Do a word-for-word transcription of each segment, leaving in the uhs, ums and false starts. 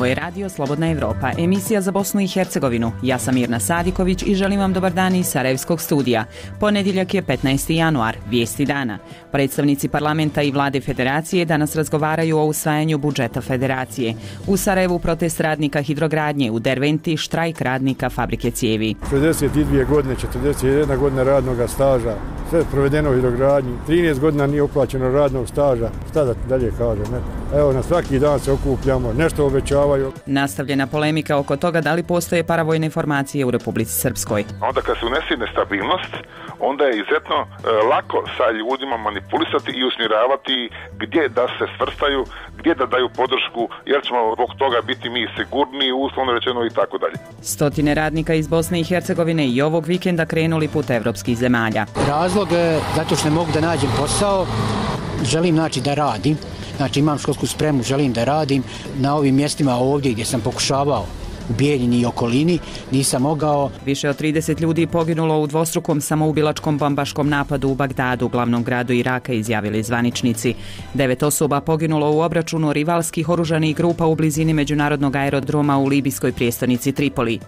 Ovo je Radio Slobodna Evropa, emisija za Bosnu i Hercegovinu. Ja sam Mirna Sadiković i želim vam dobar dan iz Sarajevskog studija. Ponedjeljak je petnaesti januar, vijesti dana. Predstavnici parlamenta i vlade federacije danas razgovaraju o usvajanju budžeta federacije. U Sarajevu protest radnika hidrogradnje, u Derventi štrajk radnika fabrike cijevi. šezdeset dvije godine, četrdeset jedna godina radnog staža, sve provedeno u hidrogradnji, trinaest godina nije uplaćeno radnog staža. Šta da dalje kažem, ne? Evo, na svaki dan se okupljamo, nešto obećavaju. Nastavljena polemika oko toga da li postoje paravojne formacije u Republici Srpskoj. Onda kad se unese nestabilnost, onda je izuzetno e, lako sa ljudima manipulisati i usmjeravati gdje da se svrstaju, gdje da daju podršku, jer ćemo zbog toga biti mi sigurniji, uslovno rečeno i tako dalje. Stotine radnika iz Bosne i Hercegovine i ovog vikenda krenuli put evropskih zemalja. Razlog je zato što ne mogu da nađem posao, želim znači da radim. Znači imam školsku spremu, želim da radim na ovim mjestima ovdje gdje sam pokušavao u Bijeljini i okolini, nisam mogao. Više od trideset ljudi poginulo u dvostrukom samoubilačkom bombaškom napadu u Bagdadu, glavnom gradu Iraka, izjavili zvaničnici. Devet osoba poginulo u obračunu rivalskih oružanih grupa u blizini međunarodnog aerodroma u libijskoj prijestolnici Tripoli.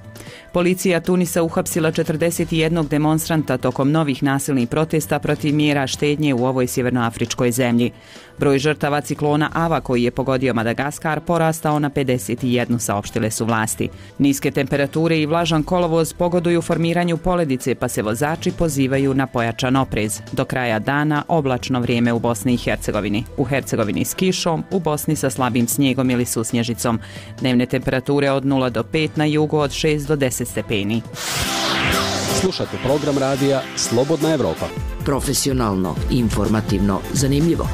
Policija Tunisa uhapsila četrdeset jednog demonstranta tokom novih nasilnih protesta protiv mjera štednje u ovoj sjevernoafričkoj zemlji. Broj žrtava ciklona Ava koji je pogodio Madagaskar porastao na pedeset jedan, saopštile su vlasti. Niske temperature i vlažan kolovoz pogoduju formiranju poledice, pa se vozači pozivaju na pojačan oprez. Do kraja dana oblačno vrijeme u Bosni i Hercegovini. U Hercegovini s kišom, u Bosni sa slabim snijegom ili susnježicom. Dnevne temperature od nula do pet, na jugu od šest do deset stepeni. Slušate program radija Slobodna Evropa. Profesionalno, informativno, zanimljivo.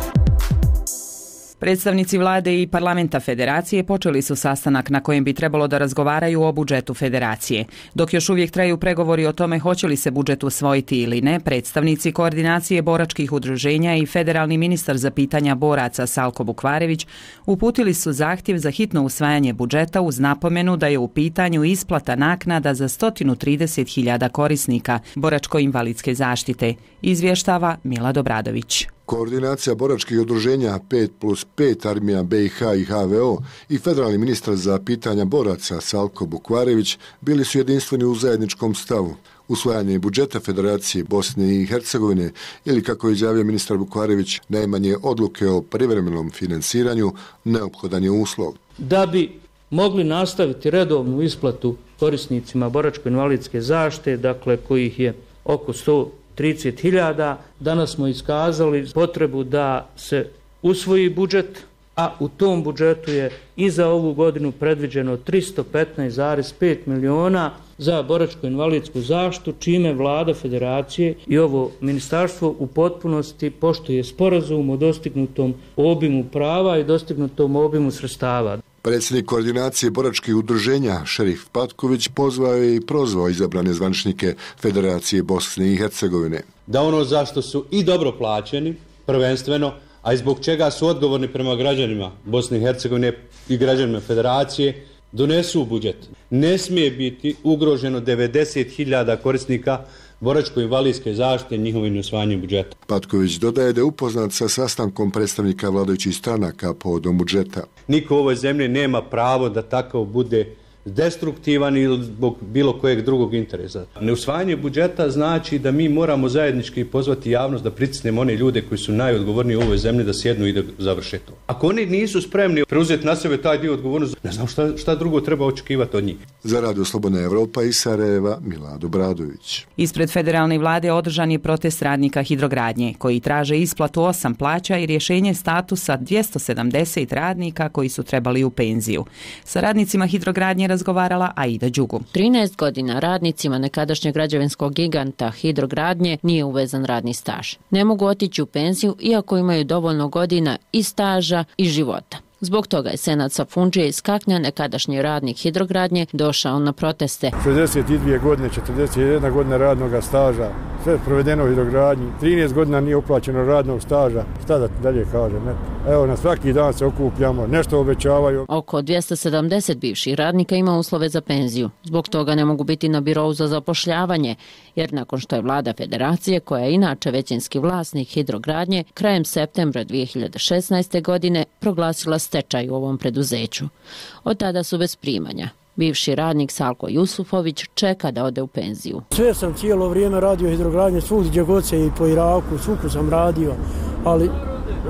Predstavnici vlade i parlamenta federacije počeli su sastanak na kojem bi trebalo da razgovaraju o budžetu federacije. Dok još uvijek traju pregovori o tome hoće li se budžet usvojiti ili ne, predstavnici koordinacije boračkih udruženja i federalni ministar za pitanja boraca Salko Bukvarević uputili su zahtjev za hitno usvajanje budžeta uz napomenu da je u pitanju isplata naknada za sto trideset hiljada korisnika boračko-invalidske zaštite, izvještava Milad Obradović. Koordinacija boračkih udruženja pet plus pet Armija B i H i H V O i federalni ministar za pitanja boraca Salko Bukvarević bili su jedinstveni u zajedničkom stavu. Usvajanje budžeta Federacije Bosne i Hercegovine ili, kako je izjavio ministar Bukvarević, najmanje odluke o privremenom finansiranju neophodan je uslov. Da bi mogli nastaviti redovnu isplatu korisnicima boračko-invalidske zaštite, dakle kojih je oko sto trideset hiljada, danas smo iskazali potrebu da se usvoji budžet, a u tom budžetu je i za ovu godinu predviđeno tristo petnaest zarez pet miliona za boračko-invalidsku zaštitu, čime vlada federacije i ovo ministarstvo u potpunosti poštuje sporazum o dostignutom obimu prava i dostignutom obimu sredstava. Predsjednik koordinacije boračkih udruženja Šerif Patković pozvao je i prozvao izabrane zvaničnike Federacije Bosne i Hercegovine. Da ono zašto su i dobro plaćeni, prvenstveno, a i zbog čega su odgovorni prema građanima Bosne i Hercegovine i građanima Federacije, donesu u budžet. Ne smije biti ugroženo devedeset hiljada korisnika boračko-invalidske zaštite njihovim usvajanjem budžeta. Patković dodaje da je upoznat sa sastankom predstavnika vladajućih stranaka povodom budžeta. Niko u ovoj zemlji nema pravo da takav bude destruktivan ili zbog bilo kojeg drugog interesa. Neusvajanje budžeta znači da mi moramo zajednički pozvati javnost da pritisnemo one ljude koji su najodgovorniji u ovoj zemlji da sjednu i da završe to. Ako oni nisu spremni preuzeti na sebe taj dio odgovornosti, ne znam šta, šta drugo treba očekivati od njih. Za Radio Slobodna Evropa iz Sarajeva, Milad Obradović. Ispred federalne vlade održan je protest radnika hidrogradnje, koji traže isplatu osam plaća i rješenje statusa dvjesto sedamdeset radnika koji su trebali u penziju. Sa radnicima hidrogradnje razgovarala Aida Đugu. trinaest godina radnicima nekadašnjeg građevinskog giganta hidrogradnje nije uvezan radni staž. Ne mogu otići u penziju iako imaju dovoljno godina i staža i života. Zbog toga je Senad Safundžije iz Kaknja, nekadašnji radnik hidrogradnje, došao na proteste. šezdeset dvije godine, četrdeset jedna godina radnog staža, sve provedeno u hidrogradnji, trinaest godina nije uplaćeno radnog staža, šta da dalje kažem, ne? Evo, na svaki dan se okupljamo, nešto obećavaju. Oko dvjesto sedamdeset bivših radnika ima uslove za penziju. Zbog toga ne mogu biti na birou za zapošljavanje, jer nakon što je vlada federacije, koja je inače većinski vlasnik hidrogradnje, krajem septembra dvije hiljade šesnaeste. godine proglasila stečaj u ovom preduzeću. Od tada su bez primanja. Bivši radnik Salko Jusufović čeka da ode u penziju. Sve sam cijelo vrijeme radio hidrogradnje, svugdje gdje god se i po Iraku, svuku sam radio, ali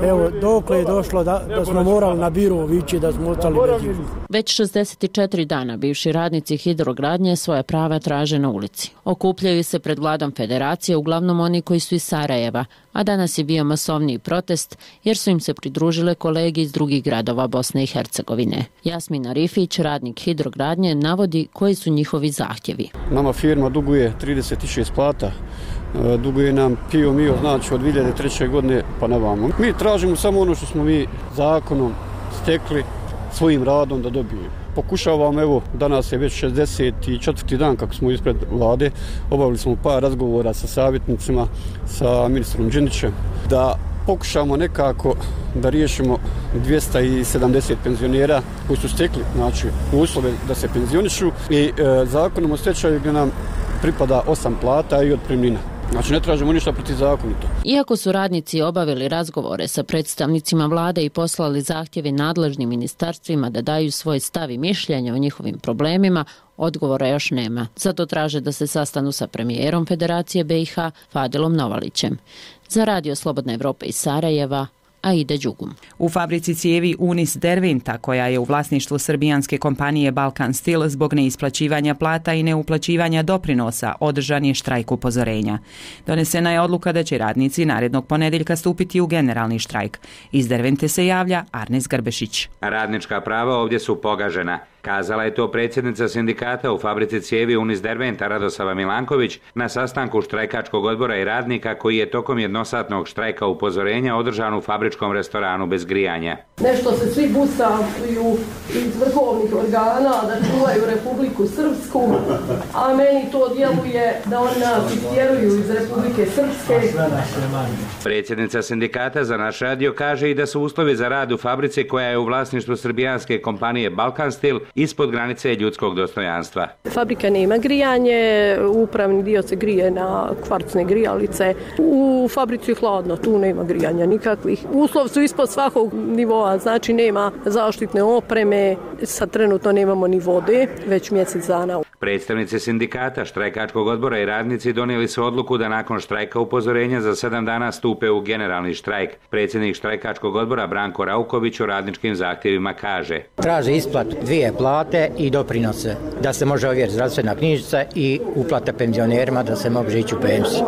evo, dokle je došlo da, da smo morali na biro vići, da smo ostali bez izbora. Već šezdeset četiri dana bivši radnici hidrogradnje svoje prava traže na ulici. Okupljaju se pred vladom federacije, uglavnom oni koji su iz Sarajeva, a danas je bio masovniji protest jer su im se pridružile kolege iz drugih gradova Bosne i Hercegovine. Jasmina Rifić, radnik hidrogradnje, navodi koji su njihovi zahtjevi. Nama firma duguje trideset šest plata. Duguje nam pio mio, znači od dvije hiljade treće. godine pa na vamo. Mi tražimo samo ono što smo mi zakonom stekli svojim radom da dobijemo. Pokušavamo, evo, danas je već šezdeset četvrti dan kako smo ispred vlade, obavili smo par razgovora sa savjetnicima, sa ministrom Đinđićem, da pokušamo nekako da riješimo dvjesto sedamdeset penzionera koji su stekli, znači, uslove da se penzionišu i e, zakonom o stečaju gdje nam pripada osam plata i otpremnina. Znači ne tražimo ništa protizakonito. Iako su radnici obavili razgovore sa predstavnicima vlade i poslali zahtjeve nadležnim ministarstvima da daju svoj stav i mišljenje o njihovim problemima, odgovora još nema. Zato traže da se sastanu sa premijerom Federacije B i H Fadilom Novalićem. Za Radio Slobodna Evropa iz Sarajeva, Aida Đugum. U fabrici cijevi Unis Derventa, koja je u vlasništvu srbijanske kompanije Balkan Steel, zbog neisplaćivanja plata i neuplaćivanja doprinosa održan je štrajk upozorenja. Donesena je odluka da će radnici narednog ponedjeljka stupiti u generalni štrajk. Iz Dervente se javlja Arnes Grbešić. Radnička prava ovdje su pogažena. Kazala je to predsjednica sindikata u fabrici cijevi Unis Derventa Radosava Milanković na sastanku štrajkačkog odbora i radnika koji je tokom jednosatnog štrajka upozorenja održan u fabričkom restoranu bez grijanja. Nešto se svi busaju iz vrhovnih organa da čuvaju Republiku Srpsku, a meni to djeluje da oni nas istjeruju iz Republike Srpske. Predsjednica sindikata za naš radio kaže i da su uslovi za rad u fabrici koja je u vlasništvu srbijanske kompanije Balkan Steel ispod granice ljudskog dostojanstva. Fabrika nema grijanje, upravni dio se grije na kvarcne grijalice. U fabrici je hladno, tu nema grijanja nikakvih. Uslov su ispod svakog nivoa, znači nema zaštitne opreme, sad trenutno nemamo ni vode, već mjesec dana. Predstavnici sindikata, štrajkačkog odbora i radnici donijeli su odluku da nakon štrajka upozorenja za sedam dana stupe u generalni štrajk. Predsjednik štrajkačkog odbora Branko Rauković o radničkim zahtjevima kaže: Traže isplat dvije plate i doprinose, da se može ovjeriti zdravstvena knjižica i uplata penzionerima da se može ići u penziju.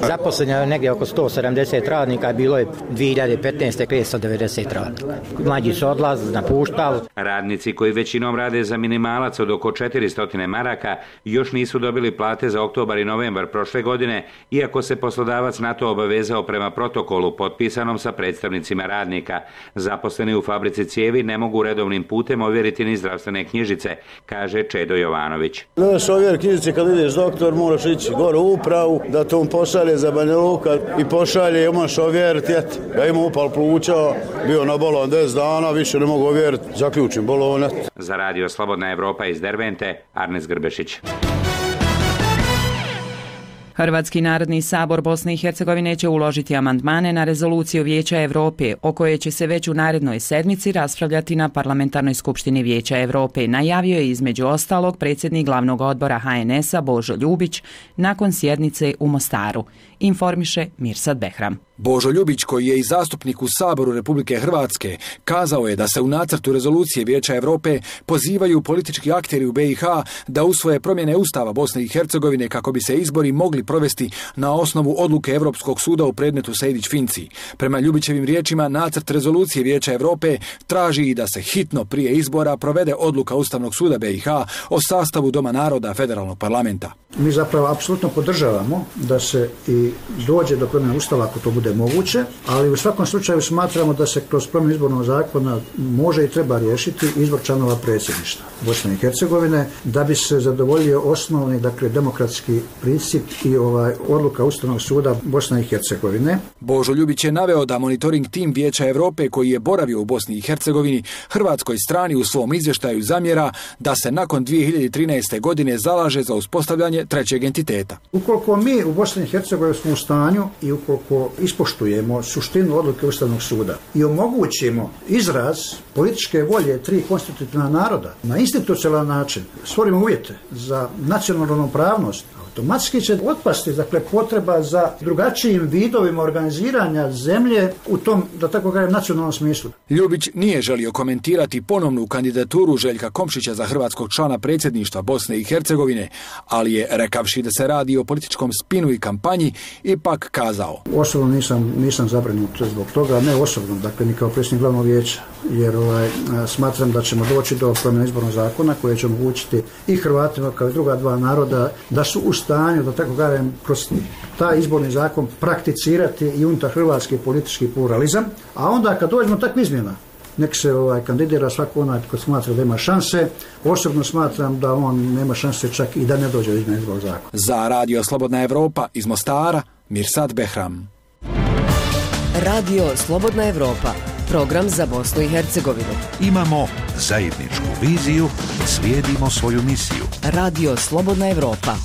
Zaposleno je negdje oko sto sedamdeset radnika, bilo je dvije hiljade petnaeste. petsto devedeset radnika. Mlađi su odlazili, napuštali. Radnici koji većinom rade za minimalac od oko četiristo maraka još nisu dobili plate za oktobar i novembar prošle godine, iako se poslodavac na to obavezao prema protokolu potpisanom sa predstavnicima radnika. Zaposleni u fabrici cijevi ne mogu redovnim putem ovjeriti ni zdravstvene knjižice, kaže Čedo Jovanović. Da se ovjeri knjižice kad ideš doktor, moraš ići gore u upravu, da to on pošalje za Banja Luka i pošalje, imaš ovjeriti. Ja imam upal pluća, bio na bolon deset dana, više ne mogu ovjeriti, zaključim bolonet. Za Radio Slobodna Evropa iz Dervente, Arnes Grbešić. Hrvatski narodni sabor Bosne i Hercegovine će uložiti amandmane na rezoluciju Vijeća Europe, o kojoj će se već u narednoj sedmici raspravljati na Parlamentarnoj skupštini Vijeća Europe, najavio je između ostalog predsjednik glavnog odbora H N S-a Božo Ljubić nakon sjednice u Mostaru. Informiše Mirsad Behram. Božo Ljubić, koji je i zastupnik u Saboru Republike Hrvatske, kazao je da se u nacrtu rezolucije Vijeća Europe pozivaju politički akteri u B i H da usvoje promjene Ustava Bosne i Hercegovine kako bi se izbori mogli provesti na osnovu odluke Europskog suda u predmetu Sejdić-Finci. Prema Ljubićevim riječima, nacrt rezolucije Vijeća Europe traži i da se hitno prije izbora provede odluka Ustavnog suda B i H o sastavu Doma naroda Federalnog parlamenta. Mi zapravo apsolutno podržavamo da se i dođe do promjene Ustava ako to bude bude moguće, ali u svakom slučaju smatramo da se kroz promjenu izbornog zakona može i treba riješiti izbor članova predsjedništva Bosne i Hercegovine da bi se zadovoljio osnovni, dakle, demokratski princip i ovaj odluka Ustavnog suda Bosne i Hercegovine. Božo Ljubić je naveo da monitoring tim Vijeća Europe koji je boravio u Bosni i Hercegovini hrvatskoj strani u svom izvještaju zamjera da se nakon dvije hiljade trinaeste. godine zalaže za uspostavljanje trećeg entiteta. Ukoliko mi u Bosni i Hercegovini smo u stanju i ukoliko ispoštujemo suštinu odluke Ustavnog suda i omogućimo izraz političke volje tri konstitutivna naroda na institucionalan način, stvorimo uvjete za nacionalnu ravnopravnost, automatski će otpasti, dakle, potreba za drugačijim vidovima organiziranja zemlje u tom, da tako kažem, nacionalnom smislu. Ljubić nije želio komentirati ponovnu kandidaturu Željka Komšića za hrvatskog člana predsjedništva Bosne i Hercegovine, ali je, rekavši da se radi o političkom spinu i kampanji, ipak kazao: Osobno nisam, nisam zabrinut zbog toga, ne osobno, dakle, ni kao predsjednik glavnog vijeća, jer ovaj, smatram da ćemo doći do promjene izbornog zakona koje će omogućiti i Hrvatima kao i druga dva naroda da su u stanju, da tako kažem, kroz taj izborni zakon prakticirati i unutar hrvatski politički pluralizam, a onda kad dođemo takve izmjena, nek se ovaj, kandidira svako onaj ko smatra da ima šanse. Osobno smatram da on nema šanse čak i da ne dođe do izmjene izbornog zakona. Za Radio Slobodna Evropa iz Mostara, Mirsad Behram. Radio Slobodna Evropa, program za Bosnu i Hercegovinu. Imamo zajedničku viziju, slijedimo svoju misiju. Radio Slobodna Evropa.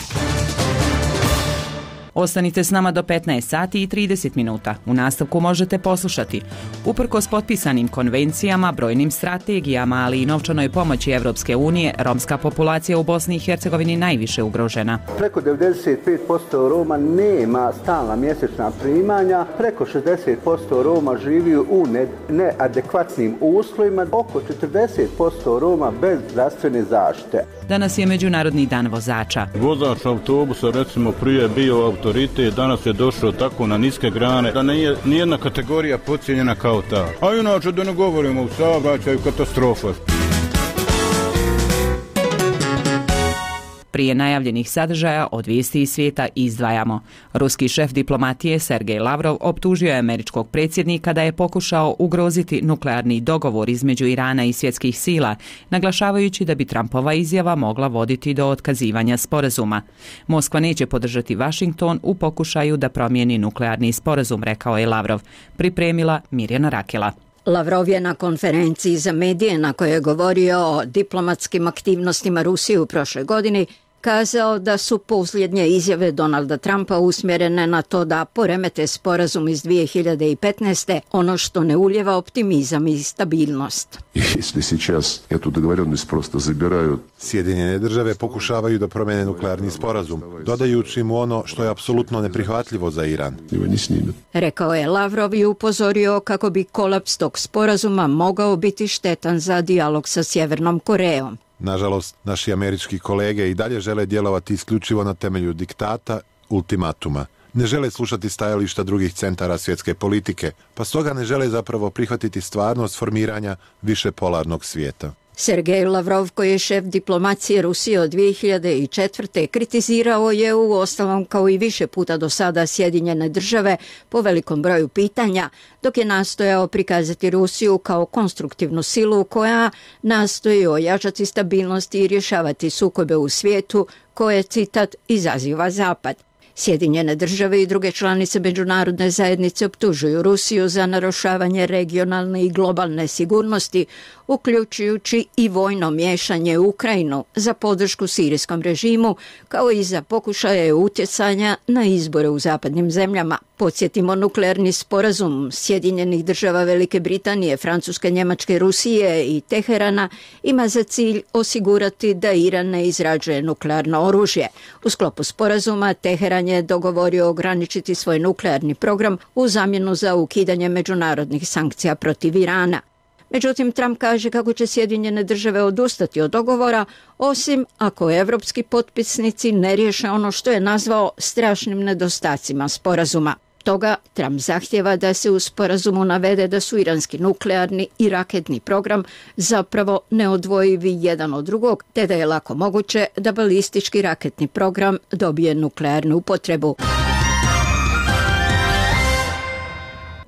Ostanite s nama do petnaest sati i trideset minuta. U nastavku možete poslušati: uprkos potpisanim konvencijama, brojnim strategijama, ali i novčanoj pomoći Evropske unije, romska populacija u Bosni i Hercegovini najviše ugrožena. Preko devedeset pet posto Roma nema stalna mjesečna primanja, preko šezdeset posto Roma živi u ne, neadekvatnim uslovima, oko četrdeset posto Roma bez zdravstvene zaštite. Danas je Međunarodni dan vozača. Vozač autobusa, recimo, prije bio autoritet, danas je došao tako na niske grane da nije nijedna kategorija podcijenjena kao ta. A inače da ne govorimo u saobraćaju, katastrofa. Prije najavljenih sadržaja od vijesti iz svijeta izdvajamo. Ruski šef diplomatije Sergej Lavrov optužio je američkog predsjednika da je pokušao ugroziti nuklearni dogovor između Irana i svjetskih sila, naglašavajući da bi Trumpova izjava mogla voditi do otkazivanja sporazuma. Moskva neće podržati Washington u pokušaju da promijeni nuklearni sporazum, rekao je Lavrov. Pripremila Mirjana Rakela. Lavrov je na konferenciji za medije na kojoj je govorio o diplomatskim aktivnostima Rusije u prošloj godini kazao da su posljednje izjave Donalda Trumpa usmjerene na to da poremete sporazum iz dvije hiljade petnaeste. ono što ne ulijeva optimizam i stabilnost. Sjedinjene države pokušavaju da promene nuklearni sporazum, dodajući mu ono što je apsolutno neprihvatljivo za Iran. Rekao je Lavrov i upozorio kako bi kolaps tog sporazuma mogao biti štetan za dijalog sa Sjevernom Korejom. Nažalost, naši američki kolege i dalje žele djelovati isključivo na temelju diktata, ultimatuma. Ne žele slušati stajališta drugih centara svjetske politike, pa stoga ne žele zapravo prihvatiti stvarnost formiranja višepolarnog svijeta. Sergej Lavrov, koji je šef diplomacije Rusije od dvije hiljade četvrte. kritizirao je u ostalom kao i više puta do sada Sjedinjene države po velikom broju pitanja, dok je nastojao prikazati Rusiju kao konstruktivnu silu koja nastoji ojačati stabilnost i rješavati sukobe u svijetu koje, citat, izaziva Zapad. Sjedinjene države i druge članice međunarodne zajednice optužuju Rusiju za narušavanje regionalne i globalne sigurnosti, uključujući i vojno miješanje u Ukrajinu za podršku sirijskom režimu, kao i za pokušaje utjecanja na izbore u zapadnim zemljama. Podsjetimo, nuklearni sporazum Sjedinjenih država Velike Britanije, Francuske, Njemačke, Rusije i Teherana ima za cilj osigurati da Iran ne izrađuje nuklearno oružje. U sklopu sporazuma Teheran je dogovorio ograničiti svoj nuklearni program u zamjenu za ukidanje međunarodnih sankcija protiv Irana. Međutim, Trump kaže kako će Sjedinjene države odustati od dogovora, osim ako evropski potpisnici ne riješe ono što je nazvao strašnim nedostacima sporazuma. Toga Trump zahtjeva da se u sporazumu navede da su iranski nuklearni i raketni program zapravo neodvojivi jedan od drugog, te da je lako moguće da balistički raketni program dobije nuklearnu upotrebu.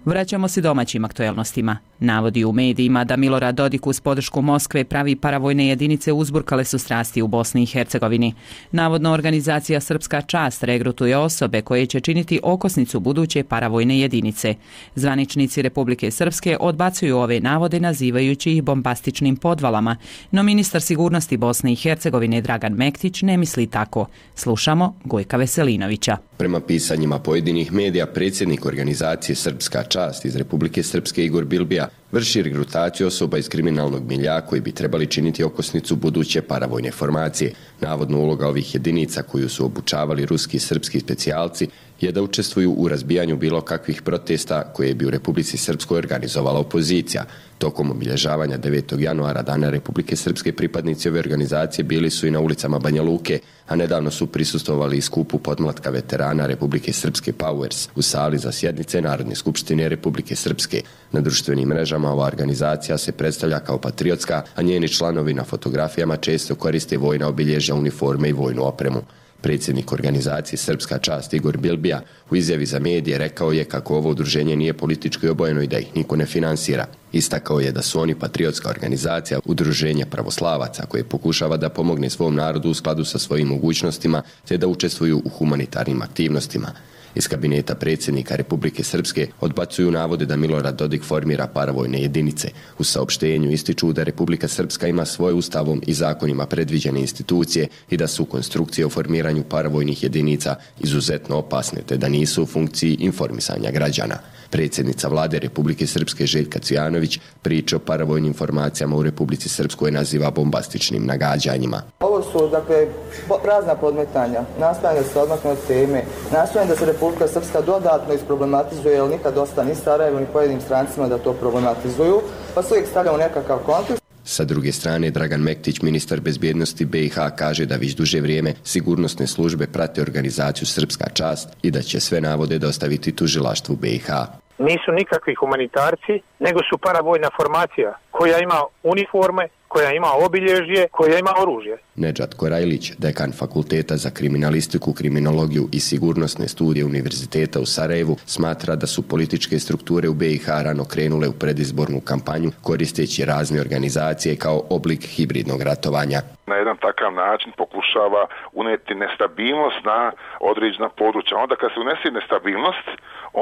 Vraćamo se domaćim aktuelnostima. Navodi u medijima da Milorad Dodik uz podršku Moskve pravi paravojne jedinice uzburkale su strasti u Bosni i Hercegovini. Navodno organizacija Srpska čast regrutuje osobe koje će činiti okosnicu buduće paravojne jedinice. Zvaničnici Republike Srpske odbacuju ove navode nazivajući ih bombastičnim podvalama, no ministar sigurnosti Bosne i Hercegovine Dragan Mektić ne misli tako. Slušamo Gojka Veselinovića. Prema pisanjima pojedinih medija, predsjednik organizacije Srpska čast iz Republike Srpske Igor Bilbija vrši regrutaciju osoba iz kriminalnog milja koji bi trebali činiti okosnicu buduće paravojne formacije. Navodno uloga ovih jedinica koju su obučavali ruski i srpski specijalci je da učestvuju u razbijanju bilo kakvih protesta koje bi u Republici Srpskoj organizovala opozicija. Tokom obilježavanja devetog januara Dana Republike Srpske pripadnici ove organizacije bili su i na ulicama Banja Luke, a nedavno su prisustvovali i skupu podmlatka veterana Republike Srpske Powers u sali za sjednice Narodne skupštine Republike Srpske. Na društvenim mrežama ova organizacija se predstavlja kao patriotska, a njeni članovi na fotografijama često koriste vojna obilježja, uniforme i vojnu opremu. Predsjednik organizacije Srpska čast Igor Bilbija u izjavi za medije rekao je kako ovo udruženje nije politički obojeno i da ih niko ne finansira. Istakao je da su oni patriotska organizacija, udruženje pravoslavaca koje pokušava da pomogne svom narodu u skladu sa svojim mogućnostima te da učestvuju u humanitarnim aktivnostima. Iz kabineta predsjednika Republike Srpske odbacuju navode da Milorad Dodik formira paravojne jedinice. U saopštenju ističu da Republika Srpska ima svoje ustavom i zakonima predviđene institucije i da su konstrukcije o formiranju paravojnih jedinica izuzetno opasne te da nisu u funkciji informisanja građana. Predsjednica vlade Republike Srpske Željka Cvijanović priče o paravojnim formacijama u Republici Srpskoj naziva bombastičnim nagađanjima. Ovo su, dakle, prazna podmetanja, nastojanje da se odmakne od teme, nastojanje da se Republika Srpska dodatno isproblematizuje, jer nikad dosta ni Sarajevo ni pojedinim strancima da to problematizuju, pa se uvijek stavlja u nekakav kontekst. Sa druge strane, Dragan Mektić, ministar bezbjednosti B i H, kaže da već duže vrijeme sigurnosne službe prate organizaciju Srpska čast i da će sve navode dostaviti tužilaštvu B i H. Nisu nikakvi humanitarci, nego su paravojna formacija koja ima uniforme, koja ima obilježje, koja ima oružje. Nedžad Korajlić, dekan Fakulteta za kriminalistiku, kriminologiju i sigurnosne studije Univerziteta u Sarajevu, smatra da su političke strukture u B i H rano krenule u predizbornu kampanju koristeći razne organizacije kao oblik hibridnog ratovanja. Na jedan takav način pokušava uneti nestabilnost na određena područja. Onda kad se unese nestabilnost,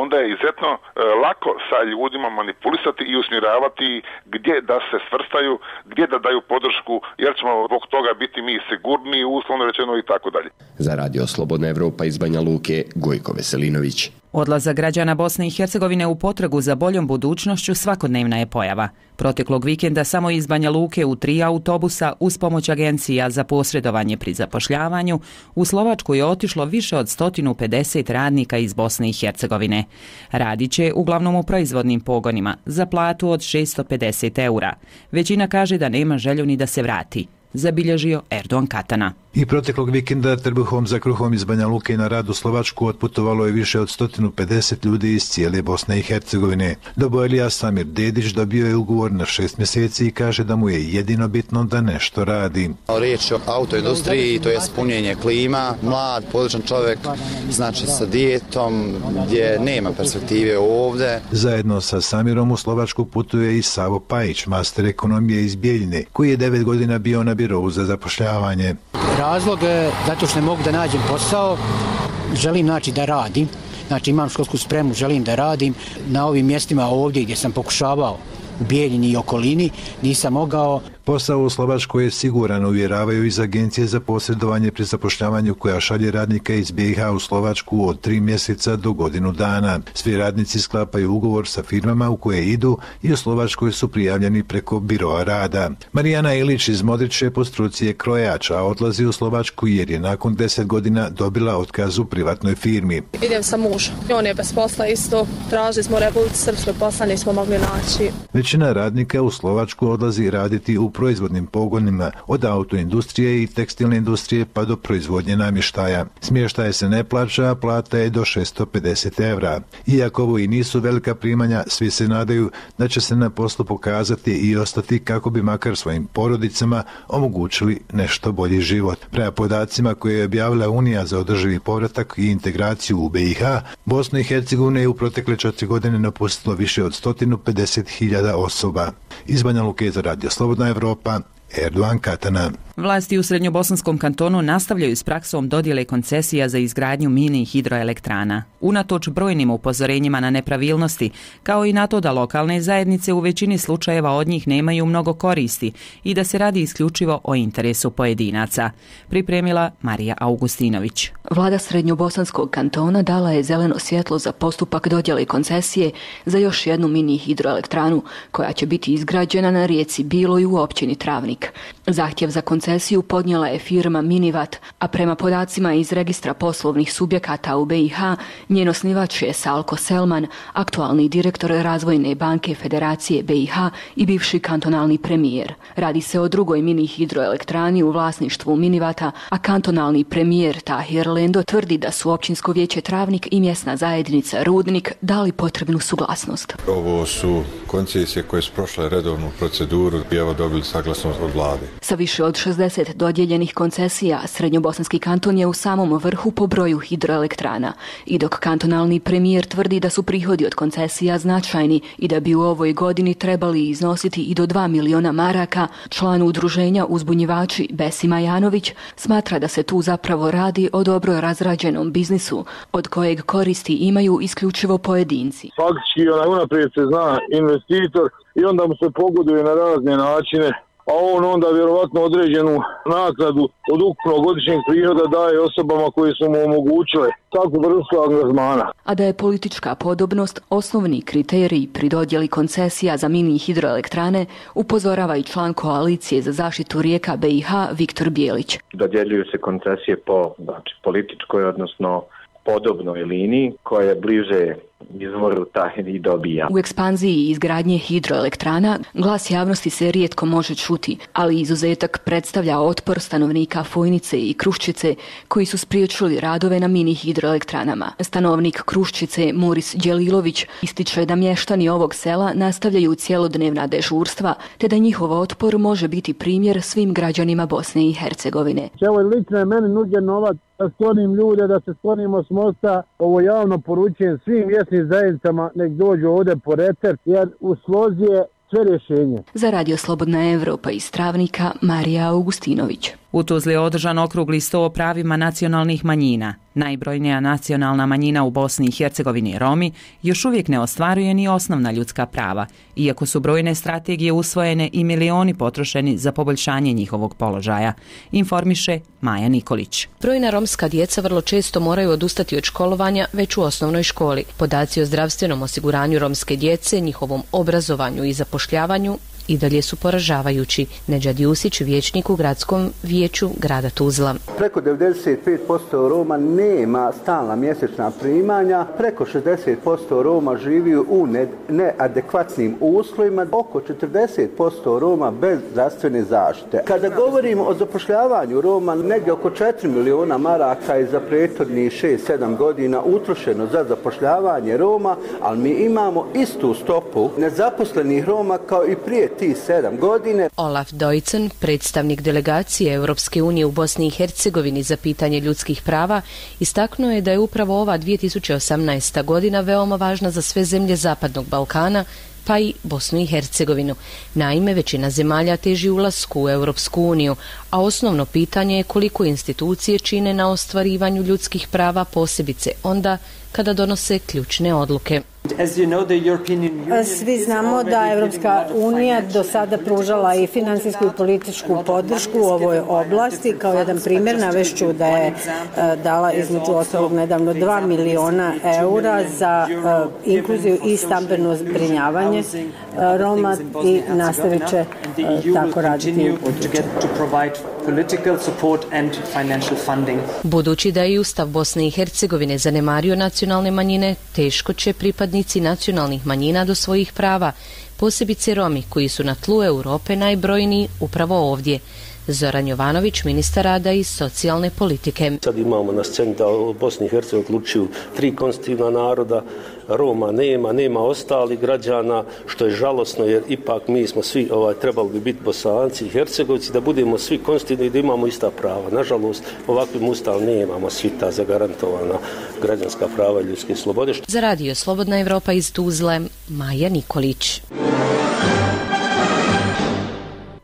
onda je izuzetno e, lako sa ljudima manipulisati i usmjeravati gdje da se svrstaju, gdje da daju podršku, jer ćemo zbog toga biti mi sigurni, uslovno rečeno i tako dalje. Za Radio Slobodna Evropa iz Banja Luke, Gojko Veselinović. Odlazak građana Bosne i Hercegovine u potragu za boljom budućnošću svakodnevna je pojava. Proteklog vikenda samo iz Banja Luke u tri autobusa uz pomoć agencija za posredovanje pri zapošljavanju u Slovačku je otišlo više od sto pedeset radnika iz Bosne i Hercegovine. Radit će uglavnom u proizvodnim pogonima za platu od šessto pedeset eura. Većina kaže da nema želju ni da se vrati, zabilježio Erdogan Katana. I proteklog vikenda trbuhom za kruhom iz Banja Luke na rad u Slovačku otputovalo je više od sto pedeset ljudi iz cijele Bosne i Hercegovine. Dobojlija Samir Dedić dobio je ugovor na šest mjeseci i kaže da mu je jedino bitno da nešto radi. Riječ o autoindustriji, to je spunjenje klima, mlad, područan čovjek, znači sa dijetom, gdje nema perspektive ovdje. Zajedno sa Samirom u Slovačku putuje i Savo Pajić, master ekonomije iz Bijeljine, koji je devet godina bio na birovu za zapošljavanje. Razlog je zato što ne mogu da nađem posao, želim znači da radim, znači imam školsku spremu, želim da radim na ovim mjestima ovdje gdje sam pokušavao u Bijeljini i okolini, nisam mogao. Posao u Slovačkoj je siguran, uvjeravaju iz agencije za posredovanje pri zapošljavanju koja šalje radnika iz B i H u Slovačku od tri mjeseca do godinu dana. Svi radnici sklapaju ugovor sa firmama u koje idu i u Slovačkoj su prijavljeni preko biroa rada. Marijana Ilić iz Modriće po struci je krojač, a odlazi u Slovačku jer je nakon deset godina dobila otkaz u privatnoj firmi. Idem sa mužem. On je bez posla isto. Tražili smo u Republici Srpskoj posla, nismo mogli naći. Većina radnika u Slovačku odlazi raditi u u proizvodnim pogonima od autoindustrije i tekstilne industrije pa do proizvodnje namještaja. Smještaj se ne plaća, a plata je do šesto pedeset evra. Iako ovo i nisu velika primanja, svi se nadaju da će se na poslu pokazati i ostati kako bi makar svojim porodicama omogućili nešto bolji život. Prema podacima koje je objavila Unija za održivi povratak i integraciju u B i H, Bosnu i Hercegovinu je u protekle četiri godine napustilo više od sto pedeset hiljada osoba. Iz Banja Luke za Radio Slobodna Evropa, Erdogan Katana. Vlasti u Srednjobosanskom kantonu nastavljaju s praksom dodjele koncesija za izgradnju mini hidroelektrana. Unatoč brojnim upozorenjima na nepravilnosti, kao i na to da lokalne zajednice u većini slučajeva od njih nemaju mnogo koristi i da se radi isključivo o interesu pojedinaca. Pripremila Marija Augustinović. Vlada Srednjobosanskog kantona dala je zeleno svjetlo za postupak dodjele koncesije za još jednu mini hidroelektranu koja će biti izgrađena na rijeci Biloj u općini Travnik. Zahtjev za koncesiju podnijela je firma Minivat, a prema podacima iz registra poslovnih subjekata u B i H, njen osnivač je Salko Selman, aktualni direktor Razvojne banke Federacije B i H i bivši kantonalni premijer. Radi se o drugoj mini hidroelektrani u vlasništvu Minivata, a kantonalni premijer Tahir Lendo tvrdi da su općinsko vijeće Travnik i mjesna zajednica Rudnik dali potrebnu suglasnost. Ovo su koncesije koje su prošle redovnu proceduru i evo dobili saglasnost od vlade. Sa više od šezdeset dodijeljenih koncesija, Srednjobosanski kanton je u samom vrhu po broju hidroelektrana. I dok kantonalni premijer tvrdi da su prihodi od koncesija značajni i da bi u ovoj godini trebali iznositi i do dva miliona maraka, član udruženja Uzbunjivači Besima Janović smatra da se tu zapravo radi o dobro razrađenom biznisu, od kojeg koristi imaju isključivo pojedinci. Faktički onaj unaprijed se zna investitor i onda mu se pogoduje na razne načine, a on onda vjerovatno određenu naknadu od ukupnog godišnjeg prihoda daje osobama koje su mu omogućile takvu vrstu angažmana. A da je politička podobnost osnovni kriterij pri dodjeli koncesija za mini hidroelektrane, upozorava i član koalicije za zaštitu rijeka B i H Viktor Bijelić. Dodjeljuju se koncesije po znači, političkoj, odnosno podobnoj liniji koja je bliže izvoru taj i dobija. U ekspanziji izgradnje hidroelektrana glas javnosti se rijetko može čuti, ali izuzetak predstavlja otpor stanovnika Fojnice i Kruščice koji su spriječili radove na mini hidroelektranama. Stanovnik Kruščice Moris Đelilović ističe da mještani ovog sela nastavljaju cjelodnevna dežurstva, te da njihov otpor može biti primjer svim građanima Bosne i Hercegovine. Evo lično je meni nuđen novac da sklonim ljude, da se sklonimo s mosta. Ovo javno poručujem svim mjesnim zajednicama nek dođu ovdje po recept, jer u slozi je sve rješenje. Za Radio Slobodna Evropa iz Travnika, Marija Augustinović. U Tuzli je održan okrugli sto o pravima nacionalnih manjina. Najbrojnija nacionalna manjina u Bosni i Hercegovini, Romi, još uvijek ne ostvaruje ni osnovna ljudska prava, iako su brojne strategije usvojene i milioni potrošeni za poboljšanje njihovog položaja, informiše Maja Nikolić. Brojna romska djeca vrlo često moraju odustati od školovanja već u osnovnoj školi. Podaci o zdravstvenom osiguranju romske djece, njihovom obrazovanju i zapošljavanju i dalje su poražavajući. Nedžad Jusić, vijećnik u gradskom vijeću grada Tuzla. Preko devedeset pet posto Roma nema stalna mjesečna primanja, preko šezdeset posto Roma živi u neadekvatnim uslovima, oko četrdeset posto Roma bez zdravstvene zaštite. Kada govorimo o zapošljavanju Roma, negdje oko četiri miliona maraka je za prethodnih šest sedam godina utrošeno za zapošljavanje Roma, ali mi imamo istu stopu nezaposlenih Roma kao i prije tih sedam godine. Olaf Dojcen, predstavnik delegacije Europske unije u Bosni i Hercegovini za pitanje ljudskih prava, istaknuo je da je upravo ova dvije tisuće osamnaesta godina veoma važna za sve zemlje Zapadnog Balkana, pa i Bosnu i Hercegovinu. Naime, većina zemalja teži ulasku u Europsku uniju, a osnovno pitanje je koliko institucije čine na ostvarivanju ljudskih prava, posebice onda kada donose ključne odluke. Svi znamo da Europska unija do sada pružala i finansijsku i političku podršku u ovoj oblasti. Kao jedan primjer navešću da je dala između ostalog nedavno dva miliona eura za inkluziju i stambeno zbrinjavanje Roma i nastavit će tako raditi u buduće. Budući da je Ustav Bosne i Hercegovine zanemario nacionalne manjine, teško će pripadnici pripadnici nacionalnih manjina do svojih prava, posebice Romi koji su na tlu Europe najbrojniji upravo ovdje. Zoran Jovanović, ministar rada i socijalne politike. Sad imamo na sceni da u Bosni i Hercegovini uključuju tri konstitutivna naroda, Roma nema, nema ostalih građana, što je žalosno jer ipak mi smo svi ovaj, trebali bi biti Bosanci i Hercegovci, da budemo svi konstitutivni i da imamo ista prava. Nažalost, ovakvim ustavom nemamo svi ta zagarantovana građanska prava i ljudske slobode. Za radio Slobodna Evropa iz Tuzle, Maja Nikolić.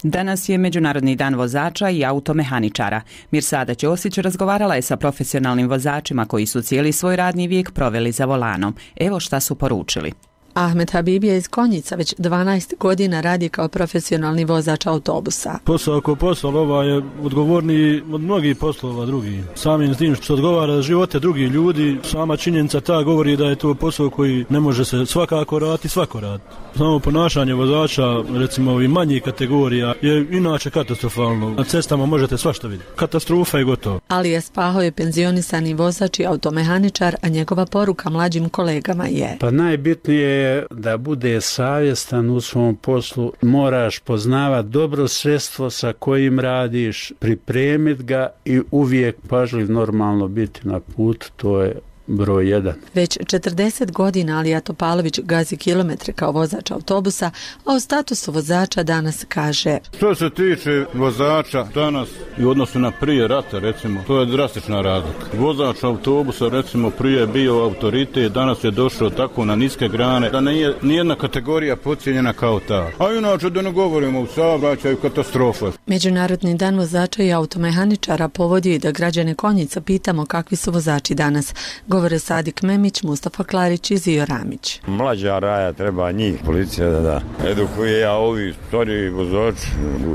Danas je Međunarodni dan vozača i automehaničara. Mirsada Ćosić razgovarala je sa profesionalnim vozačima koji su cijeli svoj radni vijek proveli za volanom. Evo šta su poručili. Ahmed Habibija iz Konjica već dvanaest godina radi kao profesionalni vozač autobusa. Posao kao posao ova je odgovorniji od mnogih poslova drugih. Samim s tim što odgovara živote drugih ljudi, sama činjenica ta govori da je to posao koji ne može se svakako raditi, svako raditi. Samo ponašanje vozača, recimo ovih manjih kategorija, je inače katastrofalno. Na cestama možete svašta vidjeti. Katastrofa je gotovo. Alija Spaho je penzionisani vozač i automehaničar, a njegova poruka mlađim kolegama je: Pa najbitnije je da bude savjestan u svom poslu. Moraš poznavati dobro sredstvo sa kojim radiš, pripremiti ga i uvijek pažljiv normalno biti na putu. To je broj jedan. Već četrdeset godina Alija Topalović gazi kilometre kao vozač autobusa, a o statusu vozača danas kaže: Što se tiče vozača danas i u odnosu na prije rata, recimo, to je drastična razlika. Vozač autobusa, recimo, prije je bio autoritet, danas je došao tako na niske grane da nije nijedna kategorija podcijenjena kao ta. A inače da ne govorimo u saobraćaju, katastrofa. Međunarodni dan vozača i automehaničara povodio i da građane Konjica pitamo kakvi su vozači danas. Govore Sadik Memić, Mustafa Klarić i Zio Ramić. Mlađa raja treba njih, policija da da edukuje, a ovi stari vozači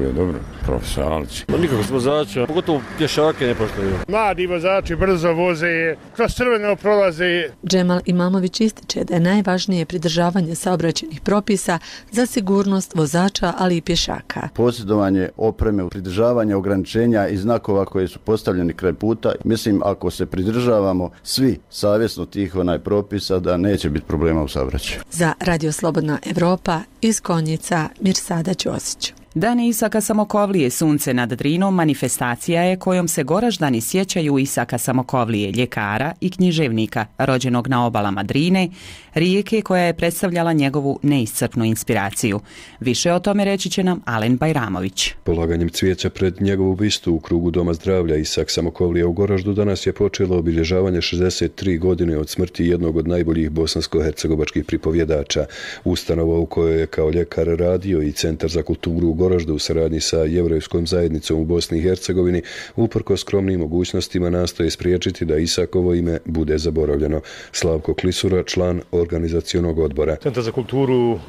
je dobro, profesionalci. Nikakvog vozača, pogotovo pješake ne poštaju. Mladi vozači brzo voze, kroz crveno prolaze. Džemal Imamović ističe da je najvažnije pridržavanje saobraćajnih propisa za sigurnost vozača, ali i pješaka. Posjedovanje opreme, pridržavanje ograničenja i znakova koji su postavljeni kraj puta. Mislim, ako se pridržavamo svi savjesno tih onaj propisa, da neće biti problema u saobraćaju. Za Radio Slobodna Evropa iz Konjica, Mirsada Ćosić. Dan Isaka Samokovlije, sunce nad Drinom, manifestacija je kojom se Goraždani sjećaju Isaka Samokovlije, ljekara i književnika, rođenog na obalama Drine, rijeke koja je predstavljala njegovu neiscrpnu inspiraciju. Više o tome reći će nam Alen Bajramović. Polaganjem cvijeća pred njegovu bistu u krugu Doma zdravlja Isak Samokovlija u Goraždu danas je počelo obilježavanje šezdeset tri godine od smrti jednog od najboljih bosansko-hercegovačkih pripovjedača. Ustanova u kojoj je kao ljekar radio i Centar za kulturu u Goraždu u saradnji sa jevrejskom zajednicom u Bosni i Hercegovini uprko skromnim mogućnostima nastoje spriječiti da Isakovo ime bude zaboravljeno. Slavko Klisura, član organizacionog odbora. Centar za kulturu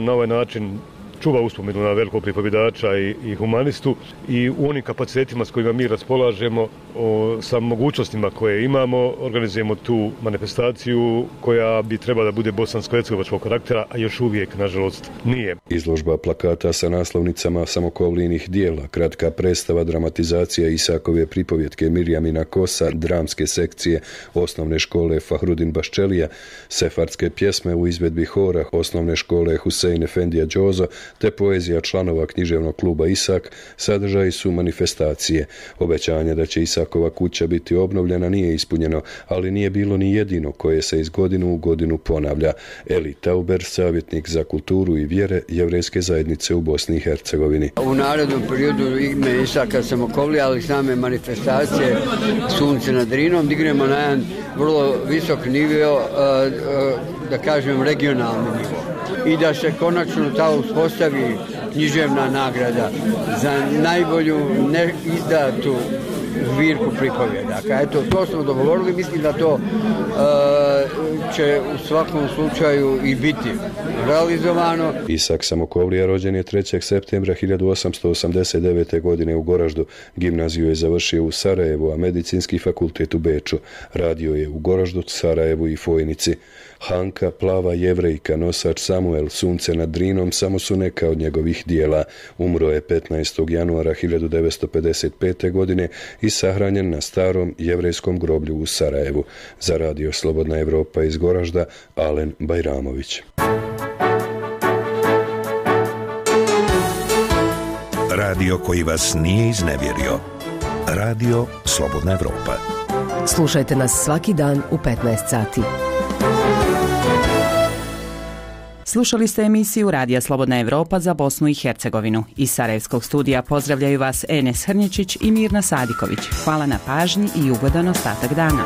na ovaj način čuva uspomenu na velikog pripovjedača i, i humanistu i u onim kapacitetima s kojima mi raspolažemo, o, sa mogućnostima koje imamo, organizujemo tu manifestaciju koja bi trebala da bude bosansko-hercegovačkog karaktera, a još uvijek, nažalost, nije. Izložba plakata sa naslovnicama Samokovlijinih dijela, kratka predstava, dramatizacija Isakove pripovjetke Mirjamina Kosa, dramske sekcije osnovne škole Fahrudin Baščelija, sefardske pjesme u izvedbi hora osnovne škole Husein Efendija Đozo, te poezija članova književnog kluba Isak sadržaji su manifestacije. Obećanje da će Isakova kuća biti obnovljena nije ispunjeno, ali nije bilo ni jedino koje se iz godinu u godinu ponavlja. Eli Tauber, savjetnik za kulturu i vjere jevrejske zajednice u Bosni i Hercegovini. U narednom periodu ime Isaka Samokovlija, ali same manifestacije Sunce nad Drinom dignemo na jedan vrlo visok nivo, da kažem regionalni nivo. I da se konačno ta uspostavi književna nagrada za najbolju neizdatu zbirku pripovjedaka. Eto, to smo dogovorili, mislim da to uh, će u svakom slučaju i biti realizovano. Isak Samokovlija rođen je trećeg septembra hiljadu osamsto osamdeset devete. godine u Goraždu. Gimnaziju je završio u Sarajevu, a medicinski fakultet u Beču. Radio je u Goraždu, Sarajevu i Fojnici. Hanka, plava jevrejka, nosač Samuel, sunce nad Drinom samo su neka od njegovih dijela. Umro je petnaestog januara hiljadu devetsto pedeset pete. godine i sahranjen na starom jevrejskom groblju u Sarajevu. Za Radio Slobodna Evropa Evropa iz Goražda Alen Bajramović. Radio koji vas nije iznevjerio. Radio Slobodna Evropa. Slušajte nas svaki dan u petnaest sati. Slušali ste emisiju Radija Slobodna Evropa za Bosnu i Hercegovinu. Iz Sarajevskog studija pozdravljaju vas Enes Hrnječić i Mirna Sadiković. Hvala na pažnji i ugodan ostatak dana.